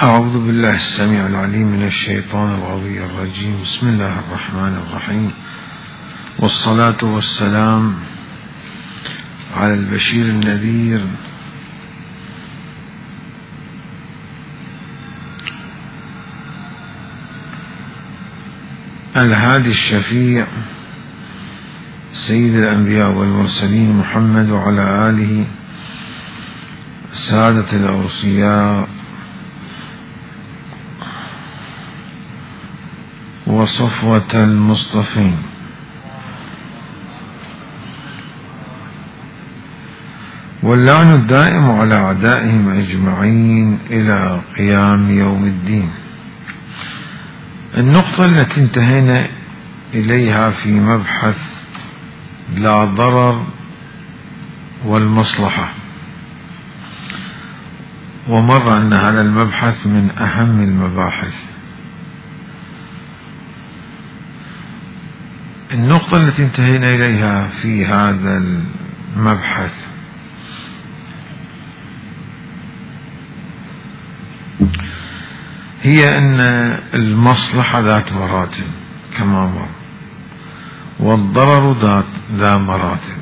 أعوذ بالله السميع العليم من الشيطان الغوي الرجيم. بسم الله الرحمن الرحيم، والصلاة والسلام على البشير النذير الهادي الشفيع سيد الأنبياء والمرسلين محمد، وعلى آله سادة الأوصياء وصفوة المصطفين، واللعن الدائم على أعدائهم أجمعين إلى قيام يوم الدين. النقطة التي انتهينا إليها في مبحث لا ضرر والمصلحة، ومر أن هذا المبحث من أهم المباحث. النقطة التي انتهينا إليها في هذا المبحث هي أن المصلحة ذات مراتب كما مر، والضرر ذا مراتب.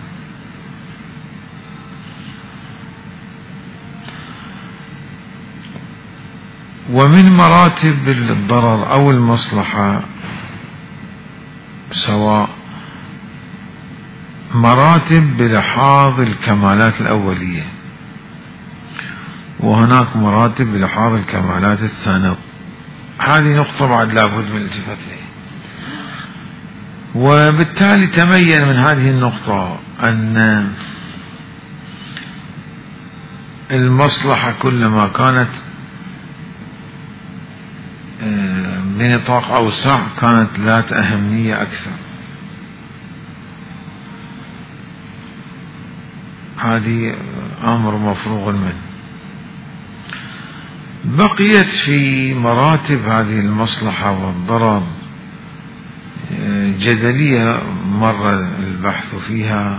ومن مراتب الضرر أو المصلحة سواء مراتب بلحاظ الكمالات الأولية، وهناك مراتب بلحاظ الكمالات الثانوية. هذه نقطة بعد لابد من الالتفات إليها. وبالتالي تبين من هذه النقطة أن المصلحة كلما كانت بنطاق أوسع كانت ذات أهمية أكثر. هذه أمر مفروغ منه. بقيت في مراتب هذه المصلحة والضرر جدلية مر البحث فيها،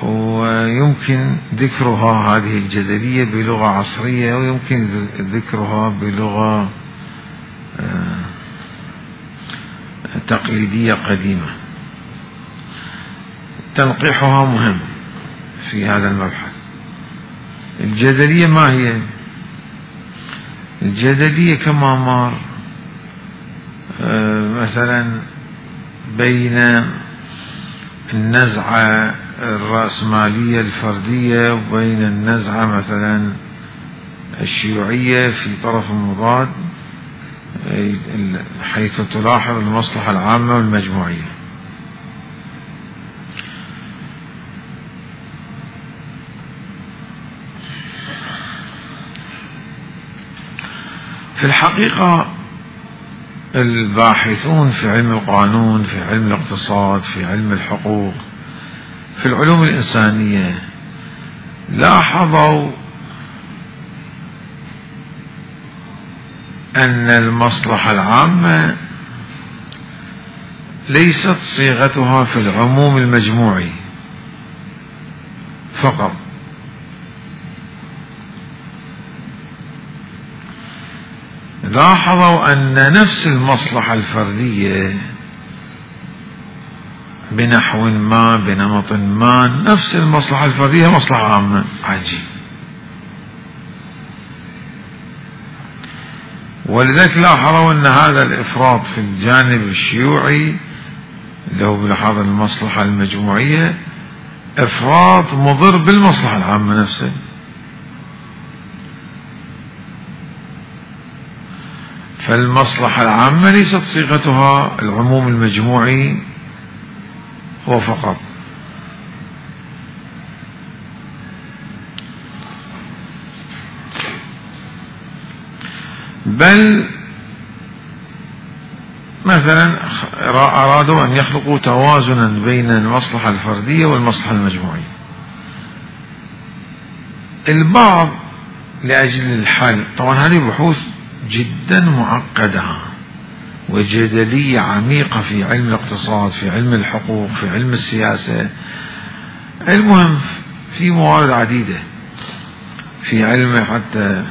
ويمكن ذكرها هذه الجدلية بلغة عصرية، ويمكن ذكرها بلغة تقليدية قديمة. تنقيحها مهم في هذا المبحث. الجدلية ما هي؟ الجدلية كما مر مثلا بين النزعة الرأسمالية الفردية وبين النزعة مثلا الشيوعية في طرف مضاد، حيث تلاحظ المصلحة العامة والمجموعية. في الحقيقة الباحثون في علم القانون، في علم الاقتصاد، في علم الحقوق، في العلوم الإنسانية لاحظوا أن المصلحة العامة ليست صيغتها في العموم المجموعي فقط، لاحظوا أن نفس المصلحة الفردية بنحو ما بنمط ما، نفس المصلحة الفردية مصلحة عامة. عجيب. ولذلك لاحظوا أن هذا الإفراط في الجانب الشيوعي اللي هو بلحاظ المصلحة المجموعية إفراط مضر بالمصلحة العامة نفسها. فالمصلحة العامة ليست صيغتها العموم المجموعي هو فقط، بل مثلا أرادوا أن يخلقوا توازنا بين المصلحة الفردية والمصلحة المجموعية. البعض لأجل الحل، طبعا هذه بحوث جدا معقدة وجدلية عميقة في علم الاقتصاد، في علم الحقوق، في علم السياسة. المهم في موارد عديدة في علمه حتى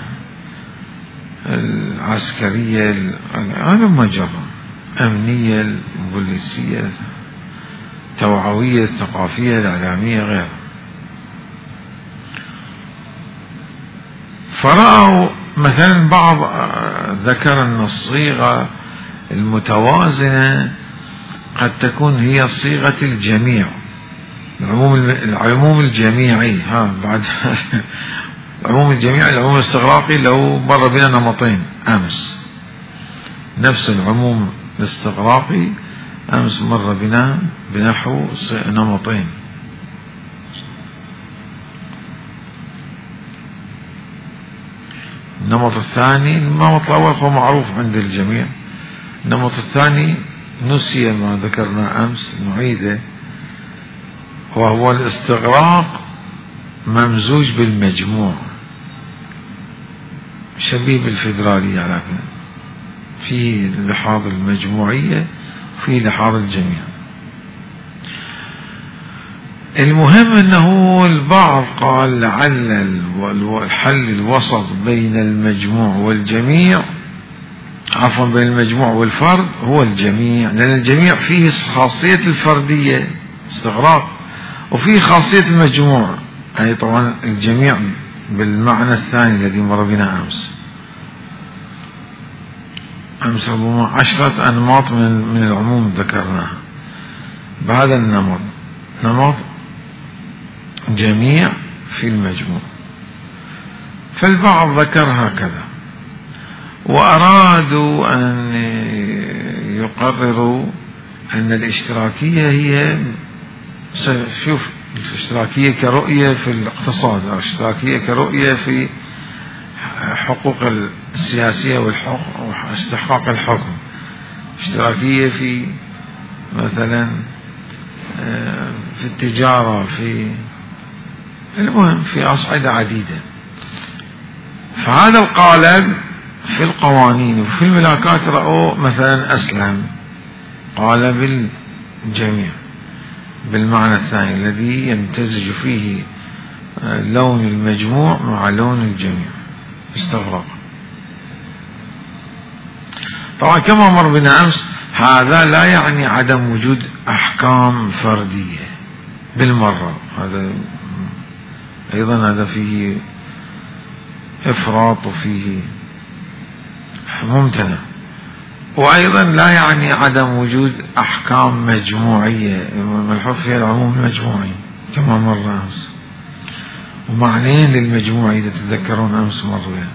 العسكرية، هذا مجرى أمنية، البوليسية، التوعوية، الثقافية، الإعلامية، غيرها. فرأوا مثلا بعض ذكر أن الصيغة المتوازنة قد تكون هي صيغة الجميع، العموم الجميعي. بعد العموم الجميعي، العموم الاستغراقي لو مر بنا نمطين أمس، نفس العموم الاستغراقي أمس مر بنا بنحو نمطين. النمط الثاني، النمط الأول هو معروف عند الجميع، النمط الثاني نسي ما ذكرنا أمس، نعيده، وهو الاستغراق ممزوج بالمجموع، شبيه بالفيدرالية، لكن في لحاظ المجموعية في لحاظ الجميع. المهم أنه البعض قال لعل الحل الوسط بين المجموع والجميع، عفوا بين المجموع والفرد، هو الجميع، لأن الجميع فيه خاصية الفردية استغراق، وفيه خاصية المجموع، أي طبعا الجميع بالمعنى الثاني الذي مر بنا أمس ربما 10 أنماط من العموم ذكرناها. بهذا النمط، نمط جميع في المجموع. فالبعض ذكر هكذا، وأرادوا أن يقرروا أن الاشتراكية هي، شوف، الاشتراكية كرؤية في الاقتصاد، أو الاشتراكية كرؤية في حقوق السياسية واستحقاق الحكم، اشتراكية في مثلا في التجارة، في المهم في أصعدة عديدة. فهذا القالب في القوانين وفي الملاكات رأوا مثلا أسلم، قالب الجميع بالمعنى الثاني الذي يمتزج فيه لون المجموع مع لون الجميع، استغرق. طبعا كما مر بنا أمس، هذا لا يعني عدم وجود أحكام فردية بالمرة، هذا أيضا هذا فيه إفراط وفيه ممتنع، وأيضا لا يعني عدم وجود أحكام مجموعية ملحوظ فيها العموم المجموعي كما مر أمس، ومعنيين للمجموعي إذا تتذكرون أمس مر بها.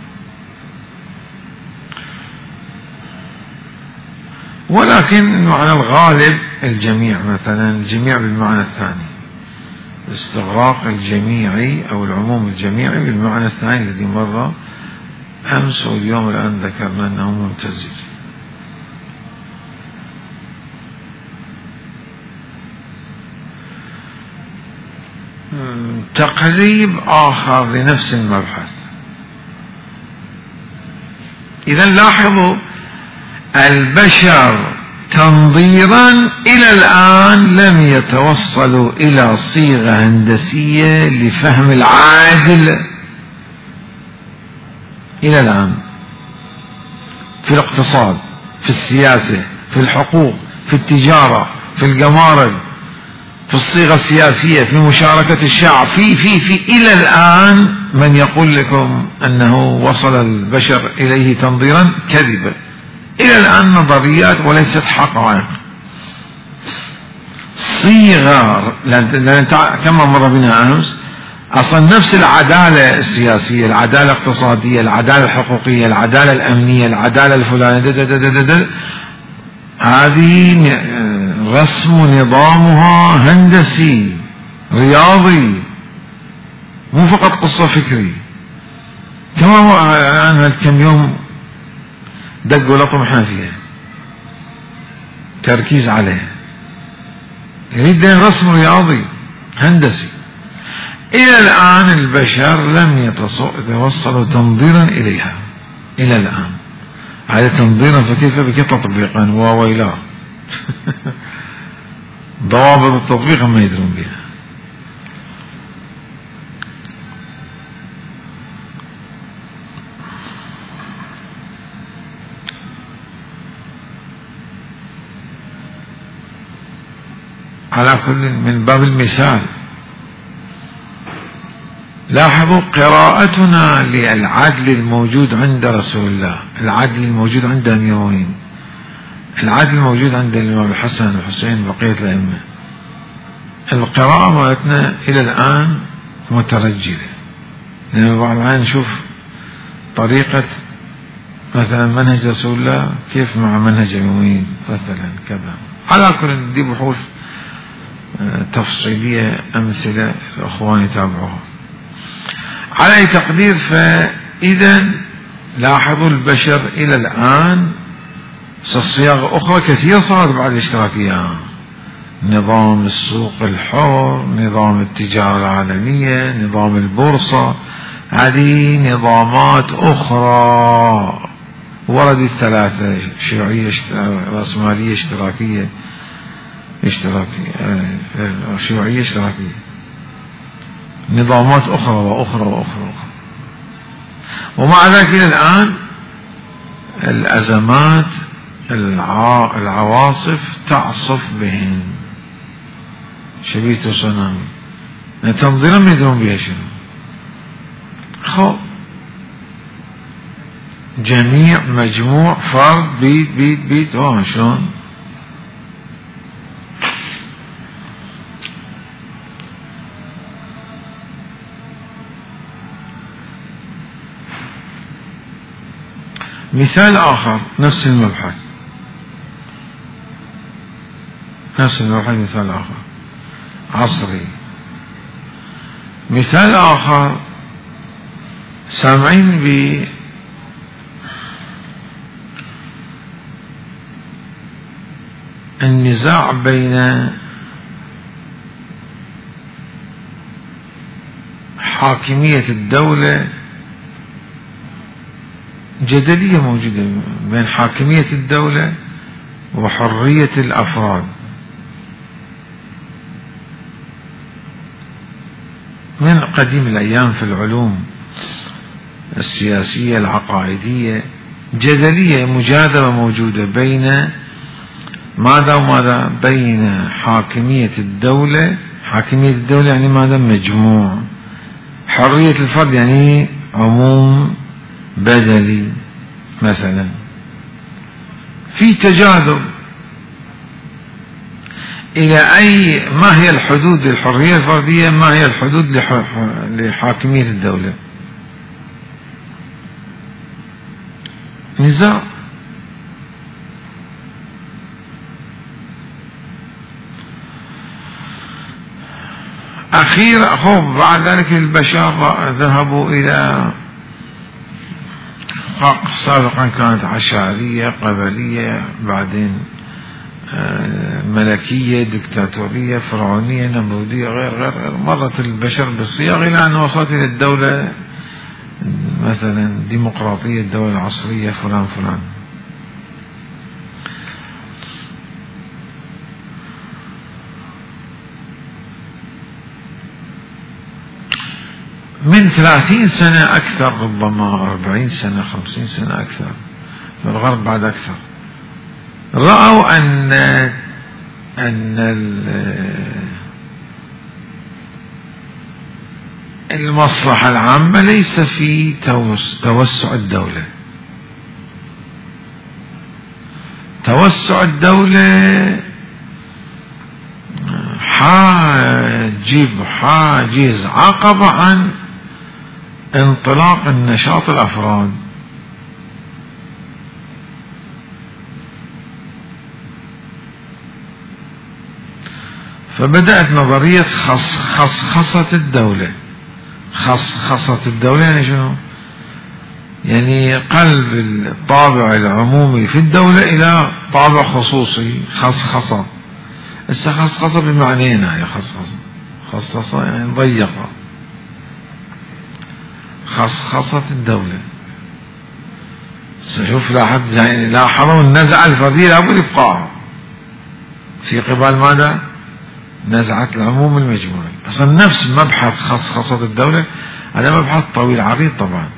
ولكن المعنى الغالب الجميع، مثلا الجميع بالمعنى الثاني، الاستغراق الجميعي أو العموم الجميعي بالمعنى الثاني الذي مر أمس، واليوم الآن ذكرنا أنه ممتزج. تقريب آخر لنفس المبحث. إذا لاحظوا، البشر تنظيرا إلى الآن لم يتوصلوا إلى صيغة هندسية لفهم العادل إلى الآن، في الاقتصاد، في السياسة، في الحقوق، في التجارة، في الجمارك، في الصيغة السياسية، في مشاركة الشعب، في إلى الآن من يقول لكم أنه وصل البشر إليه تنظيرا كذبا. إلى الآن نظريات وليست حقائق. صيغة، لأن كما مر بنا أمس، أصلا نفس العدالة السياسية، العدالة الاقتصادية، العدالة الحقوقية، العدالة الأمنية، العدالة الفلانية، هذه رسم نظامها هندسي رياضي، مو فقط قصة فكري. كما أنا كم يوم دق ولطم احنا فيها، تركيز عليها، يريد رسم رياضي هندسي. إلى الآن البشر لم يتوصلوا تنظيرا إليها إلى الآن. هذا تنظيرا فكيف بك تطبيقا وويلاه ضوابط التطبيق ما يدرون بها. على كل من باب المثال. لاحظوا قراءتنا للعدل الموجود عند رسول الله، العدل الموجود عند أمير المؤمنين، العدل الموجود عند الإمام الحسن والحسين وبقية الأئمة، القراءة مالتنا إلى الآن مترجلة، لأن بعض الأحيان نشوف طريقة مثلا منهج رسول الله كيف مع منهج المؤمنين مثلا كذا. على كل دي بحوث تفصيلية أمثلة الأخوان يتابعوها. على أي تقدير، فإذا لاحظوا البشر إلى الآن صياغة أخرى كثيرة صارت بعد الاشتراكية، نظام السوق الحر، نظام التجارة العالمية، نظام البورصة، هذه نظامات أخرى وردت ثلاثة: شيوعية، رأسمالية، اشتراكية، شيوعية، اشتراكية، نظامات أخرى وأخرى وأخرى. ومع ذلك إلى الآن الأزمات، العواصف تعصف بهن شبيه تسونامي، تنظيرا ما يدرون بها شنو. خب جميع مجموع فرد بيت شلون. مثال آخر نفس المبحث، مثال آخر عصري. مثال آخر سامعين بالنزاع بين حاكمية الدولة، جدلية موجودة بين حاكمية الدولة وحرية الأفراد. من قديم الأيام في العلوم السياسية العقائدية جدلية مجادلة موجودة بين ماذا وماذا، بين حاكمية الدولة. حاكمية الدولة يعني ماذا؟ مجموع. حرية الفرد يعني عموم بدلي مثلا. في تجاذب إلى أي، ما هي الحدود للحرية الفردية، ما هي الحدود لحاكمية الدولة. نزاع. أخيرا بعد ذلك البشر ذهبوا إلى سابقا كانت عشائرية، قبلية، بعدين ملكية، دكتاتورية، فرعونية، نمرودية، غير. مرت البشر بالصياغ إلى أن وصلت إلى الدولة مثلا ديمقراطية، الدولة العصرية، فلان فلان. من 30 سنة أكثر، ربما 40 سنة، 50 سنة أكثر، في الغرب بعد أكثر، رأوا أن المصلحة العامة ليس في توسع الدولة. توسع الدولة حاجز، عقبة عن انطلاق النشاط الأفراد. فبدأت نظرية خصخصة الدولة. خصخصة الدولة يعني شنو؟ يعني قلب الطابع العمومي في الدولة إلى طابع خصوصي. خصخصة. خصخصة بمعنيين، يعني خصخصة يعني ضيقة. خصخصة الدولة. شوف لاحظوا النزعة الفردية لابد يبقى في قبال ماذا؟ نزعة العموم المجموعي. أصلا نفس مبحث خصخصة الدولة هذا مبحث طويل عريض طبعا،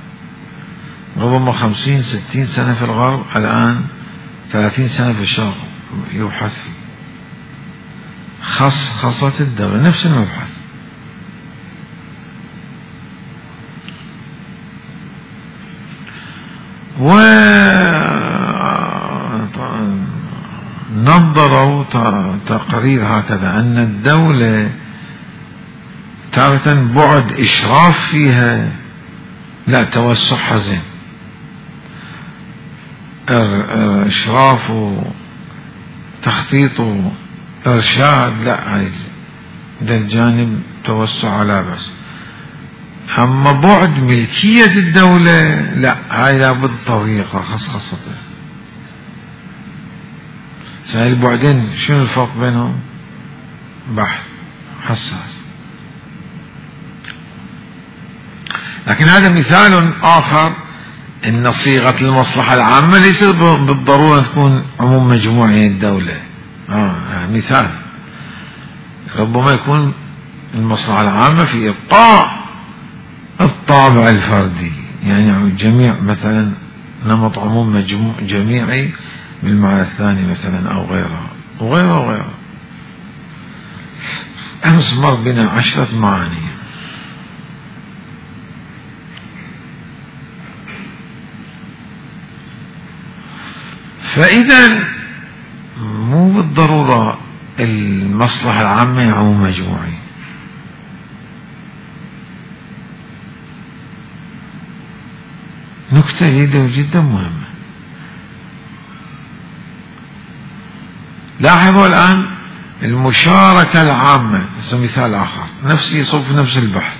ربما 50-60 سنة في الغرب، الآن 30 سنة في الشرق يبحث فيه. خصخصة الدولة، نفس المبحث. ونظروا تقرير هكذا أن الدولة تارة بعد إشراف فيها لا توسع حزين، إشراف وتخطيط وإرشاد لا، هاي ده الجانب توسع على بس. أما بعد ملكية الدولة لا، هاي لابد طريقة خاصة. سهل بعدين شنو الفرق بينهم؟ بحث حساس. لكن هذا مثال آخر إن صيغة المصلحة العامة ليس بالضرورة تكون عموم مجموعي الدولة. مثال ربما يكون المصلحة العامة في إبقاء الطابع الفردي، يعني جميع مثلا نمط عموم جميعي بالمعنى الثاني مثلا أو غيرها وغيرها. أمس مر بنا 10 معاني. فإذا مو بالضرورة المصلحة العامة عموم مجموعي. نكتة جدا مهمة. لاحظوا الآن المشاركة العامة، مثال آخر يصب في نفس البحث،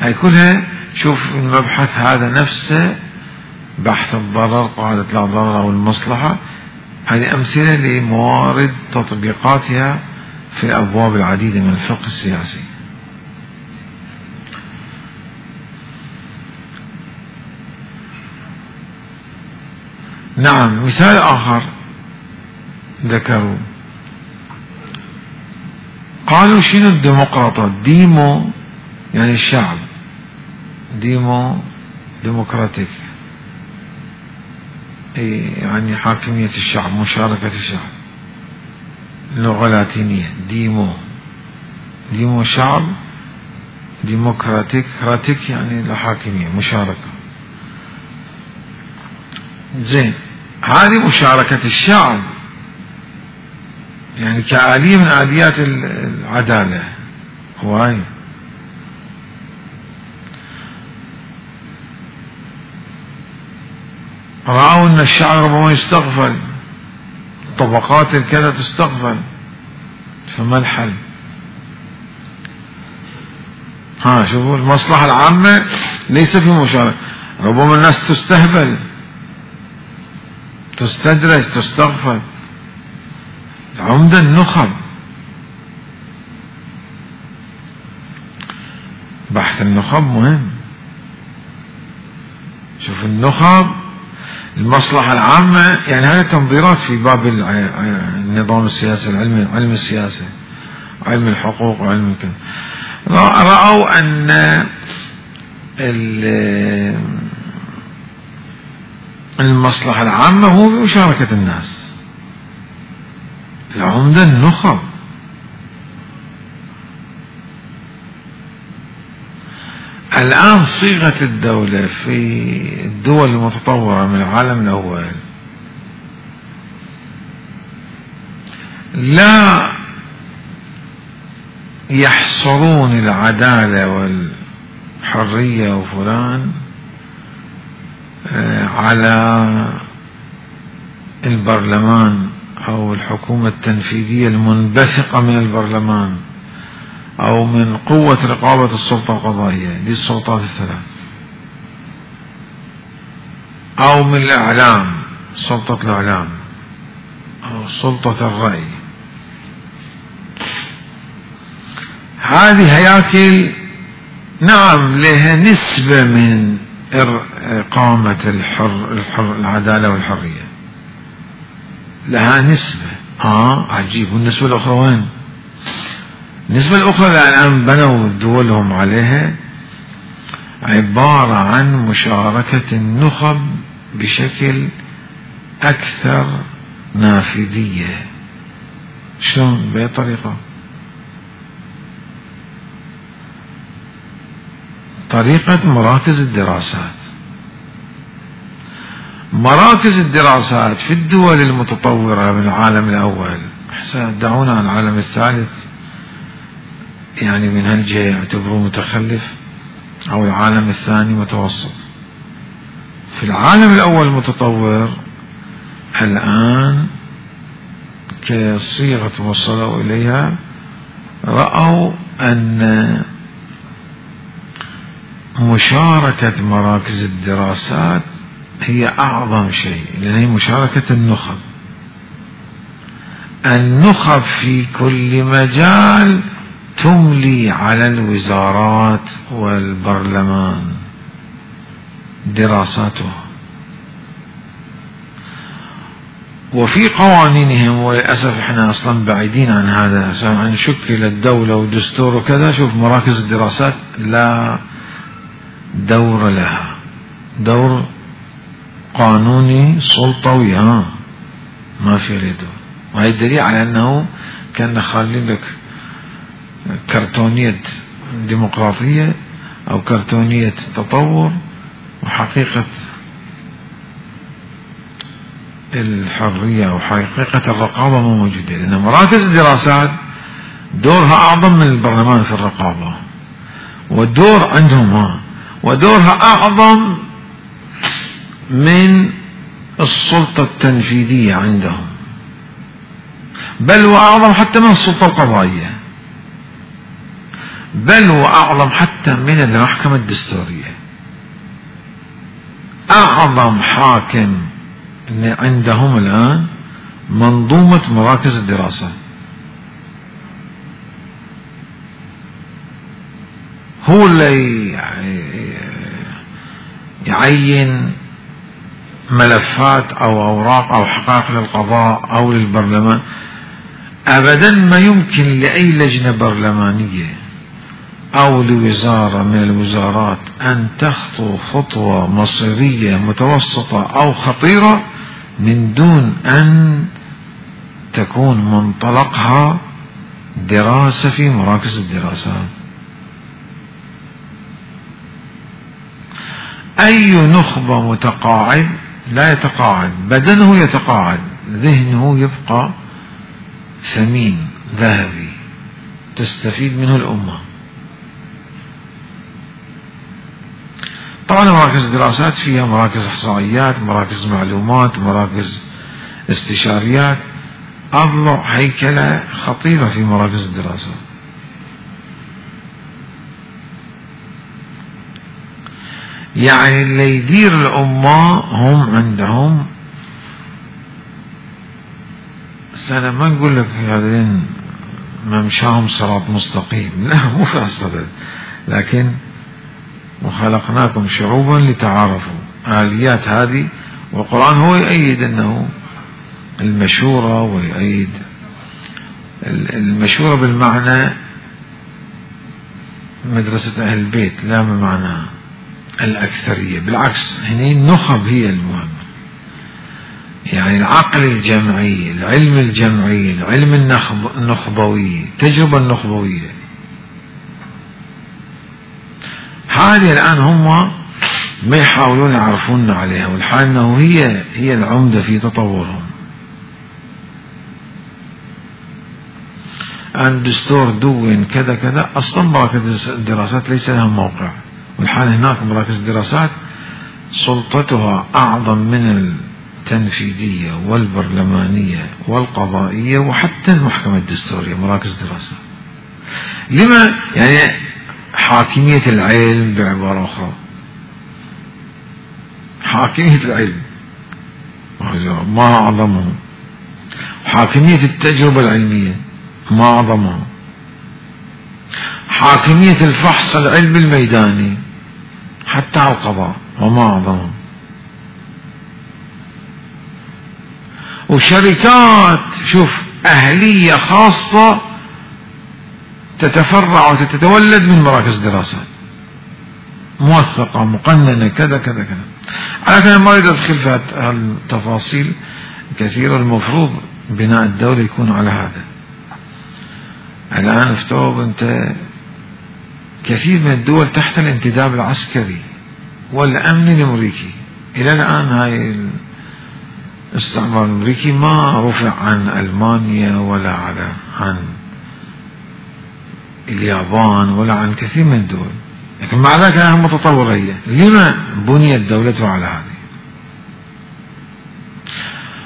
هاي كلها. شوف المبحث هذا نفسه بحث الضرر، قاعدة لا ضرر أو المصلحة، هذه أمثلة لموارد تطبيقاتها في الأبواب العديدة من الفقه السياسي. نعم، مثال آخر ذكروا، قالوا شنو الديمقراطات؟ ديمو يعني الشعب، ديمقراطيك يعني حاكمية الشعب، مشاركة الشعب، لغة لاتينية. ديمو شعب، ديمقراطيك يعني الحاكمية مشاركة. زين، هذه مشاركة الشعب يعني كآلية من آليات العدالة. هواي رأوا أن الشعب ربما يستغفل، طبقات الكذا تستغفل، فما الحل؟ شوفوا المصلحة العامة ليس في مشاركة، ربما الناس تستهبل، تستدرج، تستغفل. عمدة النخب، بحث النخب مهم. شوف النخب، المصلحة العامة، يعني هذه تنظيرات في باب النظام السياسي، علم السياسة، علم الحقوق وعلم الكذا. رأوا أن المصلحة العامة هو بمشاركة الناس، العمدة النخب. الآن صيغة الدولة في الدول المتطورة من العالم الأول لا يحصرون العدالة والحرية وفلان على البرلمان أو الحكومة التنفيذية المنبثقة من البرلمان أو من قوة رقابة السلطة القضائية، دي السلطات الثلاث، أو من الإعلام، سلطة الإعلام أو سلطة الرأي. هذه هياكل نعم لها نسبة من إقامة العدالة والحرية، لها نسبة. عجيب. والنسبة الأخرى وين؟ النسبة الأخرى الآن بنوا دولهم عليها عبارة عن مشاركة النخب بشكل أكثر نافذية، شلون بأي طريقة؟ طريقة مراكز الدراسات. مراكز الدراسات في الدول المتطورة من العالم الأول، دعونا عن العالم الثالث، يعني من هالجهة يعتبروه متخلف، أو العالم الثاني متوسط. في العالم الأول المتطور الآن كصيغة وصلوا إليها، رأوا أن مشاركة مراكز الدراسات هي أعظم شيء، لأن هي مشاركة النخب في كل مجال تملي على الوزارات والبرلمان دراساتها، وفي قوانينهم. وللأسف احنا أصلا بعيدين عن هذا، عن شكل الدولة ودستور وكذا. شوف مراكز الدراسات لا دور لها، دور قانوني سلطوي، ما في له دور. وهي الدليل على أنه كان خالين لك كرتونية ديمقراطية أو كرتونية تطور، وحقيقة الحرية أو حقيقة الرقابة مو موجودة. لأن مراكز الدراسات دورها أعظم من البرلمان في الرقابة، والدور عندهم ودورها أعظم من السلطة التنفيذية عندهم، بل وأعظم حتى من السلطة القضائية، بل وأعظم حتى من المحكمة الدستورية. أعظم حاكم عندهم الآن منظومة مراكز الدراسة، هو اللي يعين ملفات أو أوراق أو حقائق للقضاء أو للبرلمان. أبدا ما يمكن لأي لجنة برلمانية أو لوزارة من الوزارات أن تخطو خطوة مصيرية متوسطة أو خطيرة من دون أن تكون منطلقها دراسة في مراكز الدراسات. أي نخبة متقاعد لا يتقاعد، بدنه يتقاعد، ذهنه يبقى ثمين ذهبي تستفيد منه الأمة. طبعا مراكز الدراسات فيها مراكز إحصائيات، مراكز معلومات، مراكز استشاريات، أضلع هيكلة خطيرة في مراكز الدراسات. يعني اللي يدير الأمة هم عندهم سنة، ما نقول لك هذين ممشاهم صراط مستقيم، لا مو في الصدد، لكن وخلقناكم شعوبا لتعارفوا، آليات هذه. والقرآن هو يؤيد أنه المشورة، ويؤيد المشورة بالمعنى مدرسة أهل البيت، لا بمعنى الأكثرية، بالعكس هنا النخب هي المهمة. يعني العقل الجمعي، العلم الجمعي، العلم النخبوي، التجربة النخبوية، هذه الآن هم ما يحاولون يعرفون عليها، والحال أنه هي العمدة في تطورهم. الدستور دون كذا كذا، أصلا مراكز الدراسات ليس لها موقع، والحال هناك مراكز الدراسات سلطتها أعظم من التنفيذية والبرلمانية والقضائية وحتى المحكمة الدستورية. مراكز دراسات لما؟ يعني حاكمية العلم، بعبارة أخرى حاكمية العلم ما أعظمه، حاكمية التجربة العلمية ما أعظمه، حاكمية الفحص العلمي الميداني حتى على القضاء وما أعظمه، وشركات شوف أهلية خاصة تتفرع وتتولد من مراكز دراسات موثقة مقننة كذا كذا كذا. على كده ما أريد أدخل في التفاصيل كثيرة، المفروض بناء الدولة يكون على هذا. الآن افترض أنت كثير من الدول تحت الانتداب العسكري والأمن الأمريكي، إلى الآن هاي الاستعمار الأمريكي ما رفع عن ألمانيا ولا عن اليابان ولا عن كثير من الدول، لكن مع ذلك أنها متطورية. لما بنيت دولتها على هذه؟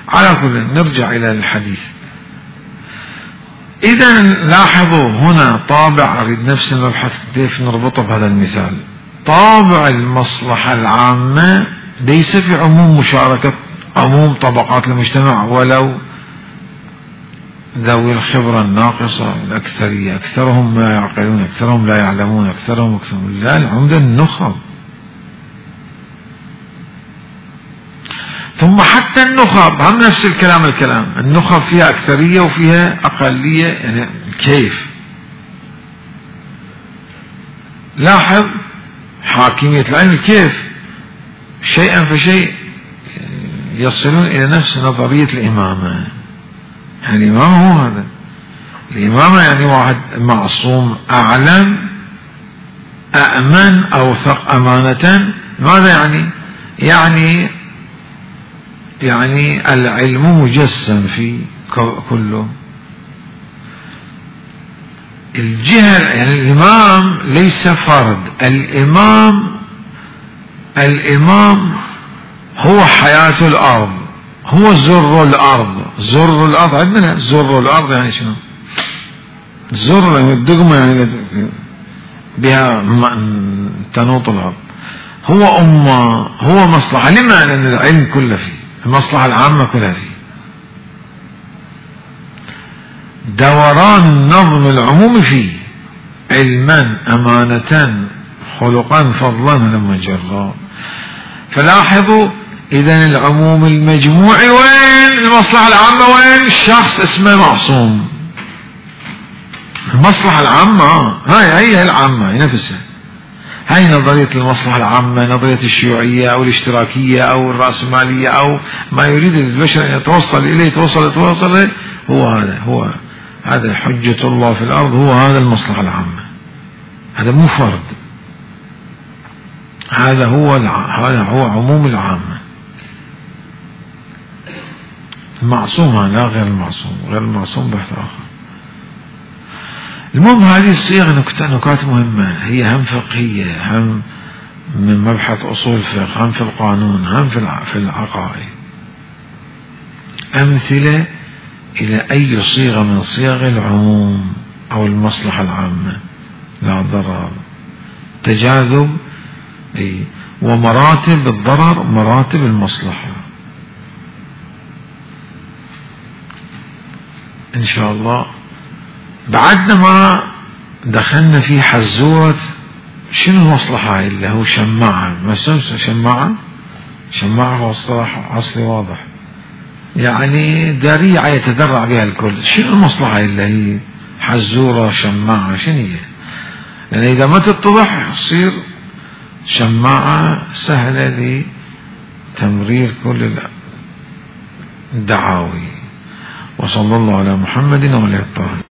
على كل نرجع إلى الحديث. إذا لاحظوا هنا طابع، أريد نفس نبحث كيف نربطه بهذا المثال. طابع المصلحة العامة ليس في عموم مشاركة عموم طبقات المجتمع ولو ذوي الخبرة الناقصة، الأكثرية، أكثرهم ما يعقلون، أكثرهم لا يعلمون، أكثرهم لا، العمدة النخب. ثم حتى النخب هم نفس الكلام، النخب فيها أكثرية وفيها أقلية، يعني كيف؟ لاحظ حاكمية العلم كيف شيئا فشيء يصلون إلى نفس نظرية الإمامة. يعني الإمامة هو هذا، الإمامة يعني واحد معصوم، أعلم، أأمن، أوثق أمانة. ماذا يعني العلم مجسم في كله. الجهة يعني الإمام ليس فرد، الإمام هو حياة الأرض، هو زر الأرض. زر الأرض عندنا، زر الأرض يعني شنو؟ زر الدقمة يعني بها تنوط الأرض. هو أمة، هو مصلحة. لما؟ لأن العلم كله فيه، المصلحة العامة كلها فيه. دوران النظم العمومي فيه، علما، أمانة، خلقا، فضلا، لما جرى. فلاحظوا إذن العموم المجموعي وين؟ المصلحة العامة وين؟ الشخص اسمه معصوم. المصلحة العامة هي العامة هي نفسها. هاي نظرية المصلحة العامة، نظرية الشيوعية أو الاشتراكية أو الرأسمالية أو ما يريد البشر أن يتوصل إليه، يتوصل هو هذا حجة الله في الأرض، هو هذا المصلحة العامة. هذا مو فرد، هذا هو عموم العامة. المعصوم لا غير المعصوم، غير المعصوم بحث آخر. المهم هذه الصيغة نكات مهمة، هي هم فقهية، هم من مبحث أصول فقه، هم في القانون، هم في العقائد. أمثلة إلى أي صيغة من صيغ العموم أو المصلحة العامة، لا ضرر، تجاذب، ومراتب الضرر، مراتب المصلحة. إن شاء الله بعدنا ما دخلنا في حزورة شنو المصلحة اللي هو شماعة. ما شماعة هو اصطلاح عصري واضح، يعني ذريعة يتذرع بها الكل. شنو المصلحة اللي هي حزورة شماعة؟ شنو هي؟ لأن إذا ما تتضح تصير شماعة سهلة لتمرير كل الدعاوي. وصلى الله على محمد وعلى آله الطاهرين.